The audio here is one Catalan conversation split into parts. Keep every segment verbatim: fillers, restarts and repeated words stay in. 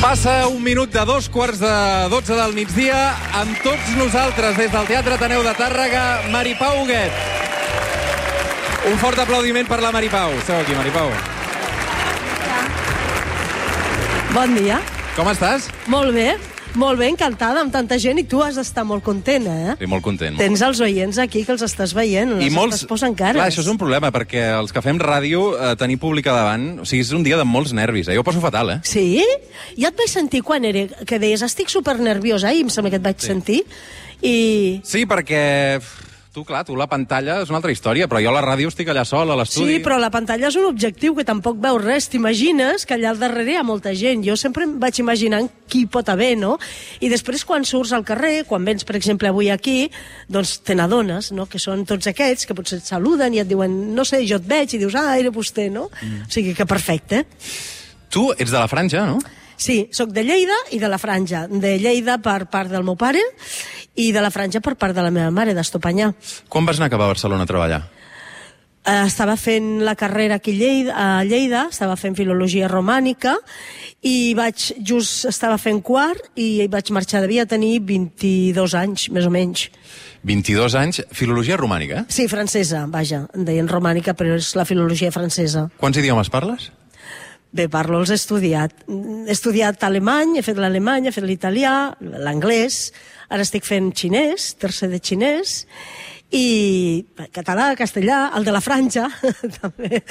Passa un minut de dos quarts de dotze del migdia. Amb tots nosaltres, des del Teatre Ateneu de Tàrrega, Maripau Huguet. Un fort aplaudiment per la Maripau. Esteu aquí, Maripau. Bon dia. Com estàs? Molt bé. Molt bé, encantada amb tanta gent, i tu has d'estar molt content, eh? Sí, molt content. Molt Tens els oients aquí que els estàs veient, els I molts... estàs posant cares. Clar, això és un problema, perquè els que fem ràdio, eh, tenir públic davant, o sigui, és un dia de molts nervis, eh? Jo ho poso fatal, eh? Sí? Ja et vaig sentir quan era, que deies, estic supernerviosa, ahir em sembla que et vaig Sí. sentir, i... Sí, perquè... Tu, clar, tu la pantalla és una altra història, però jo a la ràdio estic allà sol, a l'estudi. Sí, però la pantalla és un objectiu que tampoc veus res. T'imagines que allà al darrere hi ha molta gent. Jo sempre em vaig imaginant qui pot haver, no? I després, quan surts al carrer, quan vens, per exemple, avui aquí, doncs te n'adones, no?, que són tots aquests que potser et saluden i et diuen, no sé, jo et veig, i dius, ah, era vostè, no? Mm. O sigui que perfecte. Tu ets de la Franja, no? Sí, sóc de Lleida i de la Franja. De Lleida per part del meu pare i de la Franja per part de la meva mare, d'Estopanyà. Quan vas anar cap a Barcelona a treballar? Eh, estava fent la carrera aquí a Lleida, a Lleida, estava fent filologia romànica i vaig, just estava fent quart i vaig marxar, devia tenir vint-i-dos anys, més o menys. vint-i-dos anys, filologia romànica, eh? Sí, francesa, vaja, en deien romànica, però és la filologia francesa. Quants idiomes parles? Bé, parlo, els he estudiat. He estudiat alemany, he fet l'alemany, he fet l'italià, l'anglès, ara estic fent xinès, tercer de xinès, i català, castellà, el de la Franja, també.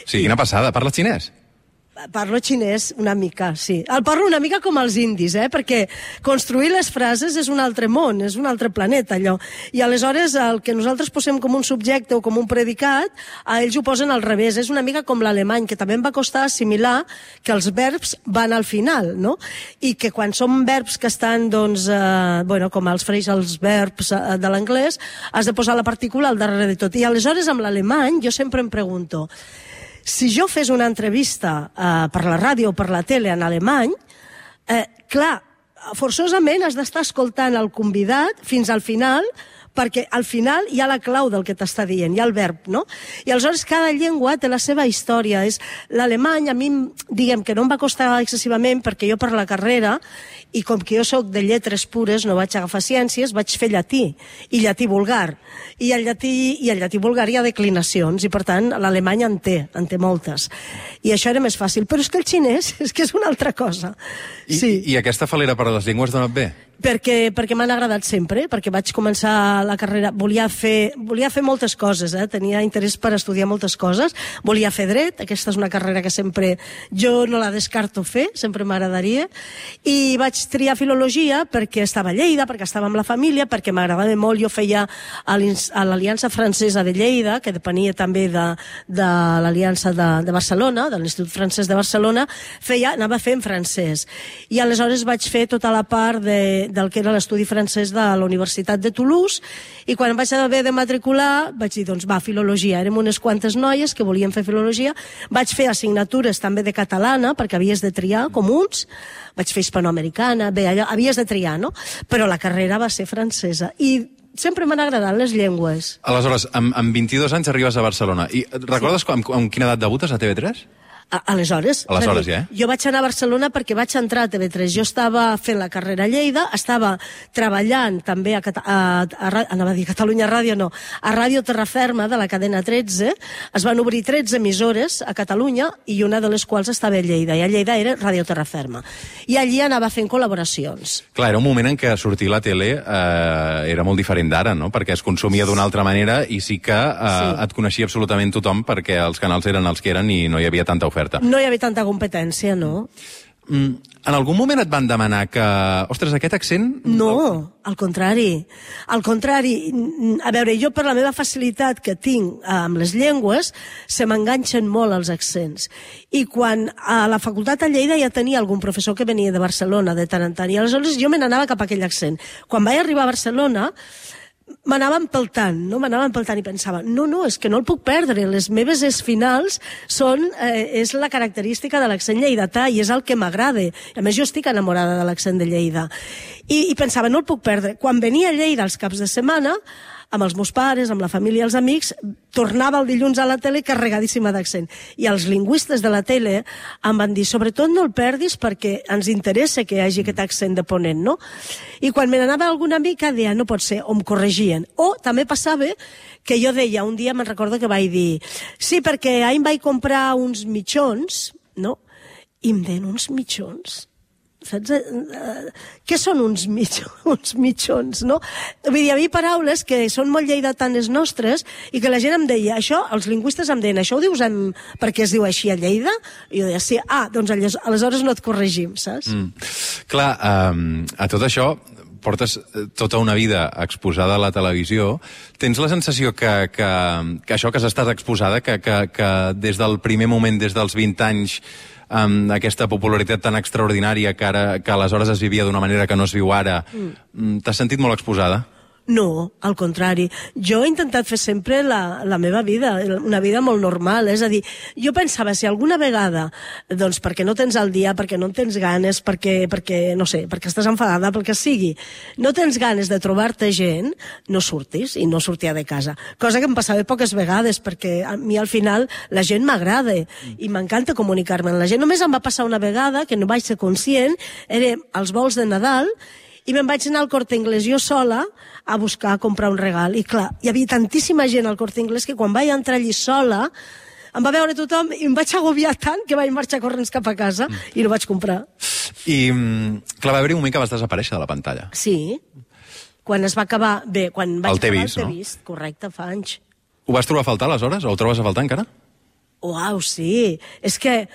Sí, quina passada. Parles xinès? Parlo xinès una mica, sí. El parlo una mica com els indis, eh? Perquè construir les frases és un altre món, és un altre planeta, allò. I aleshores el que nosaltres posem com un subjecte o com un predicat, a ells ho posen al revés. És una mica com l'alemany, que també em va costar assimilar que els verbs van al final, no? I que quan són verbs que estan, doncs, eh, bueno, com els freix els verbs eh, de l'anglès, has de posar la partícula al darrere de tot. I aleshores amb l'alemany jo sempre em pregunto, si jo fes una entrevista eh, per la ràdio o per la tele en alemany, eh, clar, forçosament has d'estar escoltant el convidat fins al final, perquè al final hi ha la clau del que t'està dient, hi ha el verb, no? I aleshores cada llengua té la seva història. És l'alemany, a mi, diguem que no em va costar excessivament, perquè jo per la carrera, i com que jo sóc de lletres pures, no vaig agafar ciències, vaig fer llatí, i llatí vulgar. I el llatí, i el llatí vulgar hi ha declinacions, i per tant l'alemany en té, en té moltes. I això era més fàcil. Però és que el xinès és que és una altra cosa. I, sí. I aquesta falera per a les llengües d'on et ve? Perquè, perquè m'han agradat sempre, perquè vaig començar la carrera, volia fer, volia fer moltes coses, eh? Tenia interès per estudiar moltes coses, volia fer dret, aquesta és una carrera que sempre, jo no la descarto fer, sempre m'agradaria, i vaig triar filologia perquè estava a Lleida, perquè estava amb la família, perquè m'agradava molt, jo feia a l'Aliança Francesa de Lleida, que depenia també de, de l'Aliança de, de Barcelona, de l'Institut Francès de Barcelona, feia, anava a fer en francès, i aleshores vaig fer tota la part de del que era l'estudi francès de la Universitat de Toulouse, i quan em vaig haver de matricular vaig dir, doncs va, filologia. Érem unes quantes noies que volien fer filologia, vaig fer assignatures també de catalana, perquè havies de triar comuns, vaig fer hispanoamericana, bé, allò, havies de triar, no? Però la carrera va ser francesa, i sempre m'han agradat les llengües. Aleshores, amb, amb vint-i-dos anys arribes a Barcelona, i recordes sí. amb, amb quina edat debutes a T V tres? Aleshores, Aleshores ja, eh? Jo vaig anar a Barcelona perquè vaig entrar a T V tres. Jo estava fent la carrera a Lleida, estava treballant també a, Cata a, a, a, anava a dir Catalunya Ràdio, no, a Ràdio Terraferma de la cadena tretze. Es van obrir tretze emissores a Catalunya i una de les quals estava a Lleida, i a Lleida era Ràdio Terraferma. I allí anava fent col·laboracions. Clar, era un moment en què sortir a la tele eh, era molt diferent d'ara, no? Perquè es consumia d'una altra manera i sí que eh, sí. et coneixia absolutament tothom perquè els canals eren els que eren i no hi havia tanta oferta. No hi havia tanta competència, no? Mm, en algun moment et van demanar que... Ostres, aquest accent... No, al contrari. Al contrari. A veure, jo per la meva facilitat que tinc amb les llengües, se m'enganxen molt els accents. I quan a la facultat a Lleida ja tenia algun professor que venia de Barcelona de tant en tant, i aleshores jo me n'anava cap a aquell accent. Quan vaig arribar a Barcelona, m'anava empeltant, no? M'anava empeltant i pensava, no, no, és que no el puc perdre, les meves es finals són, eh, és la característica de l'accent lleidatà i és el que m'agrada. A més, jo estic enamorada de l'accent de Lleida. I, I pensava, no el puc perdre. Quan venia a Lleida els caps de setmana, amb els meus pares, amb la família i els amics, tornava el dilluns a la tele carregadíssima d'accent. I els lingüistes de la tele em van dir, sobretot no el perdis perquè ens interessa que hi hagi aquest accent de Ponent, no? I quan me n'anava alguna mica, deia, no pot ser, o em corregien. O també passava que jo deia, un dia me'n recordo que vaig dir, sí, perquè ahir em vaig comprar uns mitjons, no? I em deien, uns mitjons? Saps? Uh, què són uns, mig, uns mitjons, no? Vull dir, hi havia paraules que són molt lleidatanes nostres i que la gent em deia, això, els lingüistes em deien, això ho dius en... perquè es diu així a Lleida? I jo deia, sí, ah, doncs aleshores no et corregim, saps? Mm. Clar, um, a tot això portes tota una vida exposada a la televisió. Tens la sensació que, que, que això que has estat exposada, que, que, que des del primer moment, des dels vint anys, amb aquesta popularitat tan extraordinària que, ara, que aleshores es vivia d'una manera que no es viu ara, mm. t'has sentit molt exposada? No, al contrari. Jo he intentat fer sempre la, la meva vida, una vida molt normal. És a dir, jo pensava, si alguna vegada, doncs perquè no tens el dia, perquè no en tens ganes, perquè, perquè no sé, perquè estàs enfadada, pel que sigui, no tens ganes de trobar-te gent, no surtis, i no sortia de casa. Cosa que em passava poques vegades, perquè a mi al final la gent m'agrada i m'encanta comunicar-me amb la gent. Només em va passar una vegada, que no vaig ser conscient, era als vols de Nadal, i me'n vaig anar al Corte Inglés jo sola a buscar, a comprar un regal. I clar, hi havia tantíssima gent al Corte Inglés que quan vaig entrar allí sola em va veure tothom i em vaig agobiar tant que vaig marxar corrents cap a casa mm. i no vaig comprar. I, clar, va haver un moment que vas desaparèixer de la pantalla. Sí. Quan es va acabar... Bé, quan vaig el acabar vist, el no? T'he vist, correcte, fa anys. Ho vas trobar a faltar aleshores? O ho trobes a faltar encara? Uau, sí. És que...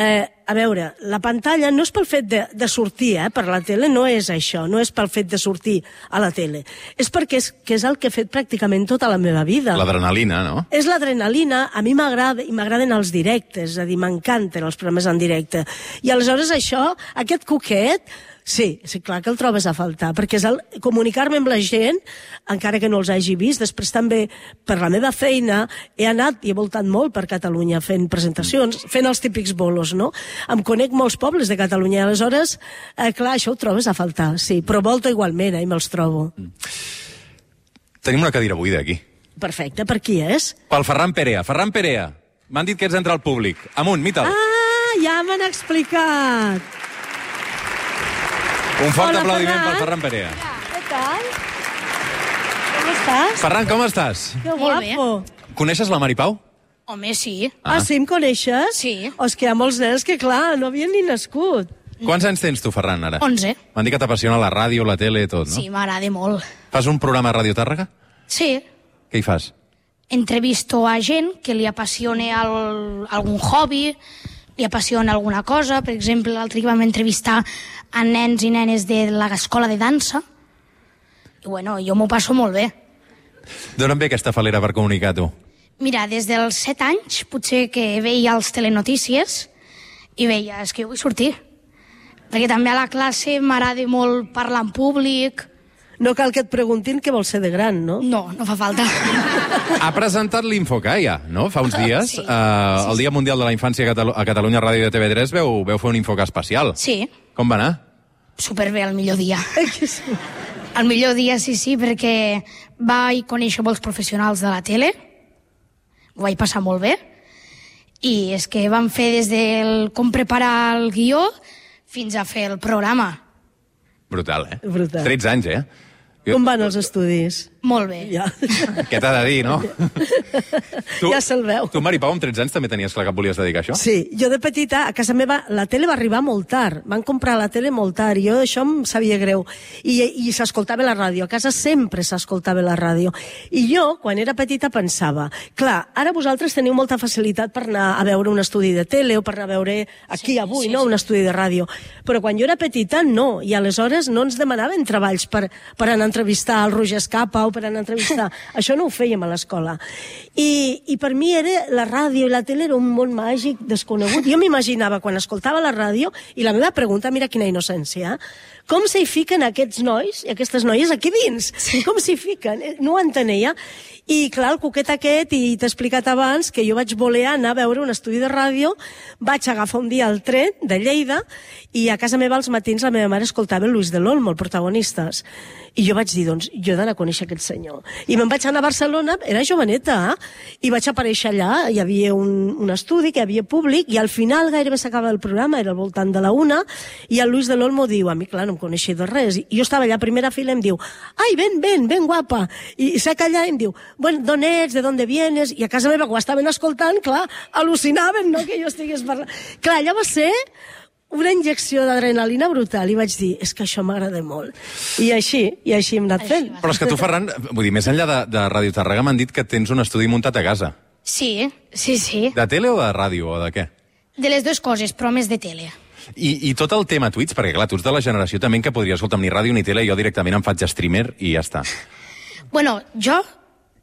Eh, a veure, la pantalla no és pel fet de, de sortir eh, per la tele, no és això, no és pel fet de sortir a la tele. És perquè és, que és el que he fet pràcticament tota la meva vida. L'adrenalina, no? És l'adrenalina, a mi m'agrada, i m'agraden els directes, és a dir, m'encanten els programes en directe. I aleshores això, aquest coquet, sí, sí, clar que el trobes a faltar, perquè és el comunicar-me amb la gent, encara que no els hagi vist. Després també, per la meva feina, he anat i he voltat molt per Catalunya fent presentacions, fent els típics bolos, no? Em conec molts pobles de Catalunya, aleshores, eh, clar, això ho trobes a faltar, sí, però volto igualment, eh, i me'ls trobo. Mm. Tenim una cadira buida aquí. Perfecte, per qui és? Pel Ferran Perea. Ferran Perea, m'han dit que ets entre el públic. Amunt, mita'l. Ah, ja m'han explicat. Un fort Hola, aplaudiment Ferran. pel Ferran Perea. Què tal? Com estàs? Ferran, com estàs? Que Molt bé. guapo. Coneixes la Mari Pau? Home, sí. Ah, ah sí, em coneixes? Sí. O és que hi ha molts nens que, clar, no havien ni nascut. Quants anys tens tu, Ferran, ara? onze. M'han dit que t'apassiona la ràdio, la tele, tot, no? Sí, m'agrada molt. Fas un programa a Ràdio Tàrrega? Sí. Què hi fas? Entrevisto a gent que li apassiona el, algun hobby, li apassiona alguna cosa. Per exemple, l'altre dia vam entrevistar a nens i nenes de l'escola de dansa. I, bueno, jo m'ho passo molt bé. D'on em ve aquesta falera per comunicar, tu? Mira, des dels set anys, potser que veia els telenotícies i veia, és que jo vull sortir. Perquè també a la classe m'agrada molt parlar en públic. No cal que et preguntin què vols ser de gran, no? No, no fa falta. Ha presentat l'Infocaia, no?, fa uns dies. Sí. Uh, el Dia Mundial de la Infància a, Catalu a Catalunya Ràdio de T V tres veu, veu fer un Infoca especial. Sí. Com va anar? Superbé, el millor dia. El millor dia, sí, sí, perquè vaig conèixer molts professionals de la tele, ho vaig passar molt bé, i és que vam fer des del com preparar el guió fins a fer el programa. Brutal, eh? Brutal. tretze anys, eh? Com van els estudis? Molt bé. Ja. Què t'ha de dir, no? tu, Ja se'l veu. Tu, Mari Pau, amb tretze anys també tenies clar que et volies dedicar a això? Sí, jo de petita, a casa meva, la tele va arribar molt tard. Van comprar la tele molt tard, i jo això em sabia greu. I, i s'escoltava la ràdio, a casa sempre s'escoltava la ràdio. I jo, quan era petita, pensava, clar, ara vosaltres teniu molta facilitat per anar a veure un estudi de tele o per anar a veure aquí Sí, avui, sí, no?, sí. un estudi de ràdio. Però quan jo era petita, no, i aleshores no ens demanaven treballs per, per anar a entrevistar el Roger Escapa o per anar a entrevistar. Això no ho fèiem a l'escola. I, I per mi era, la ràdio i la tele era un món màgic desconegut. Jo m'imaginava quan escoltava la ràdio, i la meva pregunta, mira quina innocència, com s'hi fiquen aquests nois i aquestes noies aquí dins? Sí. Com s'hi fiquen? No ho entenia. I clar, el coquet aquest, i t'he explicat abans que jo vaig voler anar a veure un estudi de ràdio, vaig agafar un dia el tren de Lleida, i a casa meva als matins la meva mare escoltava el Luis del Olmo, el protagonistes. I jo vaig dir, doncs, jo he d'anar a conèixer aquests senyor. I me'n vaig anar a Barcelona, era joveneta, i vaig aparèixer allà, hi havia un, un estudi, que hi havia públic, i al final gairebé s'acaba el programa, era al voltant de la una, i el Luis de l'Olmo diu, a mi, clar, no em coneixia de res, i jo estava allà a primera fila i em diu, ai, ven, ven, ven, guapa, i s'ha callat i em diu, bueno, d'on ets, de d'on vienes, i a casa meva, quan estaven escoltant, clar, al·lucinaven, no?, que jo estigués parlant. Clar, allò va ser una injecció d'adrenalina brutal, i vaig dir, és que això m'agrada molt. I així, i així hem anat fent. Però és que tu, Ferran, vull dir, més enllà de, de Ràdio Tàrrega, m'han dit que tens un estudi muntat a casa. Sí, sí, sí. De tele o de ràdio, o de què? De les dues coses, però més de tele. I, I tot el tema Twitch, perquè clar, tu ets de la generació també que podria escoltar ni ràdio ni tele, jo directament em faig streamer i ja està. Bueno, jo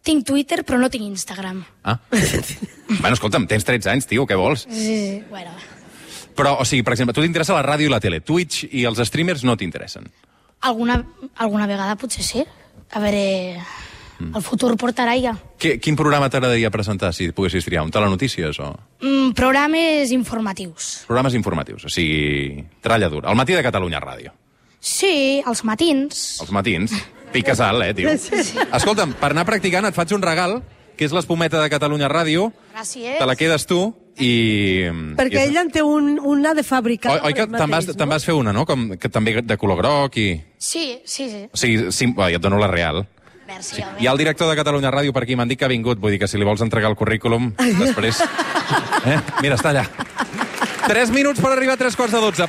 tinc Twitter, però no tinc Instagram. Ah. Bueno, escolta'm, tens tretze anys, tio, què vols? Sí, sí, bueno... Però, o sigui, per exemple, tu t'interessa la ràdio i la tele. Twitch i els streamers no t'interessen. Alguna, alguna vegada potser sí. A veure, el futur portarà ja. Que, quin programa t'agradaria presentar, si poguessis triar? Un telenotícies o...? Mm, programes informatius. Programes informatius, o sigui, tralla dura. Al matí de Catalunya Ràdio. Sí, els matins. Els matins. Piques alt, eh, tio? Sí, sí. Escolta'm, per anar practicant et faig un regal, que és l'espumeta de Catalunya Ràdio. Gràcies. Te la quedes tu. I... Perquè i... ella en té un, una de fàbrica. Oi, oi que te'n vas, te vas fer una, no? Com, que també de color groc i... Sí, sí, sí. O sigui, sí, bueno, jo et dono la real. Merci, Sí. Hi ha el director de Catalunya Ràdio per aquí, m'han dit que ha vingut. Vull dir que si li vols entregar el currículum, després... Eh? Mira, està allà. Tres minuts per arribar a tres quarts de dotze.